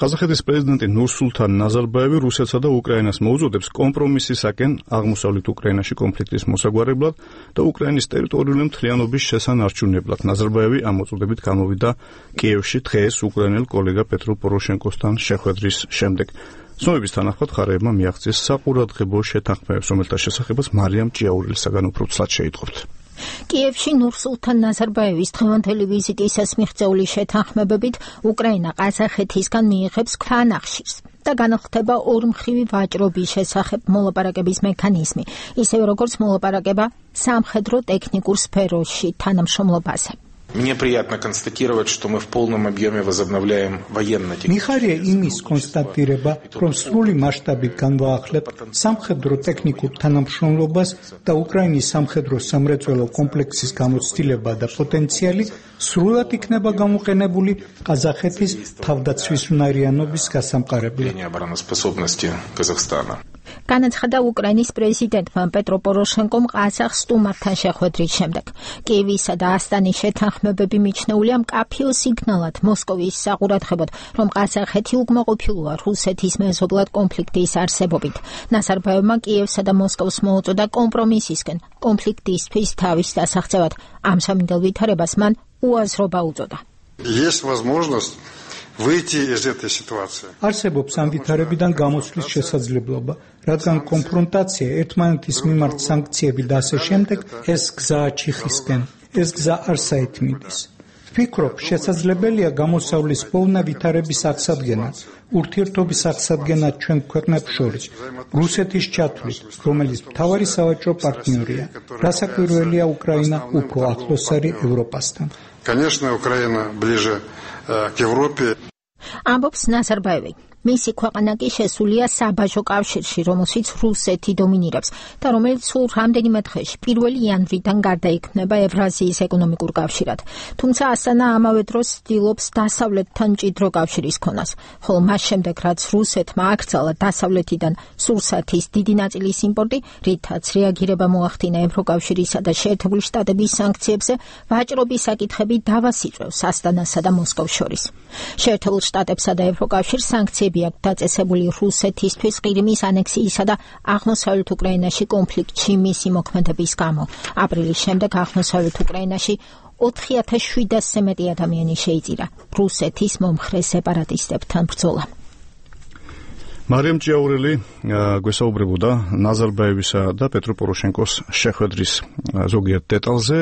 ყაზახეთის პრეზიდენტი ნურსულთან ნაზარბაევი რუსეთსა და უკრაინას მოუწოდებს კომპრომისისაკენ აღმოსავლეთ უკრაინაში კონფლიქტის მოსაგვარებლად და უკრაინის ტერიტორიული მთლიანობის შესანარჩუნებლად. ნაზარბაევი ამ მოწოდებით გამოვიდა კიევში დღეს უკრაინელ კოლეგა პეტრო პოროშენკოსთან შეხვედრის შემდეგ. ცნობების თანახმად მხარეებმა მიაღწიეს საყურადღებო შეთანხმებებს, რომელთა შესახებაც მარიამ ჭიაურელისაგან უფრო ცლად შეიტყობთ. კიევში ნურსულთან ნაზარბაევის დღევანდელი ვიზიტისას მიღწეული შეთანხმებებით უკრაინა ყაზახეთისგან მიიღებს ქვანახშირს და განხდება ორმხრივი ვაჭრობის შესახებ მოლაპარაკების მექანიზმი, ისევე როგორც მოლაპარაკება სამხედრო ტექნიკურ სფეროში თანამშრომლობაზე. Мне приятно констатировать, что мы в полном объеме возобновляем военно-технические. მიხარია იმის კონსტატირება, რომ სრული მასშტაბით განვაახლებ სამხედრო ტექნიკურ თანამშრომლობას და უკრაინის სამხედრო სამრეწველო კომპლექსის გამოცდილება და პოტენციალი სრულად იქნება გამოყენებული ყაზახეთის თავდაცვის უნარიანობის გასამყარებლად. განაცხადა უკრაინის პრეზიდენტმა პეტრო პოროშენკომ ყაზახ სტუმართან შეხვედრის შემდეგ. კიევისა და ასტანის შეთანხმებები მიჩნეულია მკაფიო სიგნალად მოსკოვის საყურადღებოდ, რომ ყაზახეთი უკმაყოფილოა რუსეთის მეზობლად კონფლიქტის არსებობით. ნაზარბაევმა კიევსა და მოსკოვს მოუწოდა კომპრომისისკენ კონფლიქტისთვის თავის დასაღწევად. ამ სამინდელ ვითარებას მან უაზრობა უწოდა. არსებობს ამ ვითარებიდან გამოსვლის შესაძლებლობა, რადგან კონფრონტაცია ერთმანეთის მიმართ სანქციები და ასე შემდეგ ეს გზა ჩიხისკენ, ეს გზა არ საერთმიდის. ვფიქრობ, შესაძლებელია გამოსავლის პოვნა ვითარების აღსადგენა, ურთიერთობის აღსადგენა ჩვენ ქვეყნებს შორის, რუსეთის ჩათვლით, რომელიც მთავარი სავაჭრო პარტნიორია, რასაკვირველია უკრაინა უფრო ახლოს არის ევროპასთან. Конечно, Украина ближе к Европе. ამბობს ნაზარბაევი. მისი ქვეყანა კი შესულია საბაჟო კავშირში, რომელშიც რუსეთი დომინირებს და რომელიც სულ რამდენიმე დღეში 1 იანვრიდან გარდაიქმნება ევრაზიის ეკონომიკურ კავშირად. თუმცა ასტანა ამავე დროს ცდილობს დასავლეთთან მჭიდრო კავშირის ქონას, ხოლო მას შემდეგ რაც რუსეთმა აკრძალა დასავლეთიდან სურსათის დიდი ნაწილის იმპორტი, რითაც რეაგირება მოახდინა ევროკავშირისა და შეერთებული შტატების სანქციებზე, ვაჭრობის საკითხები დავას იწვევს ასტანასა და მოსკოვს შორის. შეერთებულ შტატებსა და ევროკავშირს სანქციები აქვს დაწესებული რუსეთისთვის ყირიმის ანექსიისა და აღმოსავლეთ უკრაინაში კონფლიქტში მისი მოქმედების გამო. აპრილის შემდეგ აღმოსავლეთ უკრაინაში 4700-ზე მეტი ადამიანი შეიწირა რუსეთის მომხრე სეპარატისტებთან ბრძოლა. მარიამ ჭიაურელი გვესაუბრებოდა ნაზარბაევისა და პეტრო პოროშენკოს შეხვედრის ზოგიერთ დეტალზე.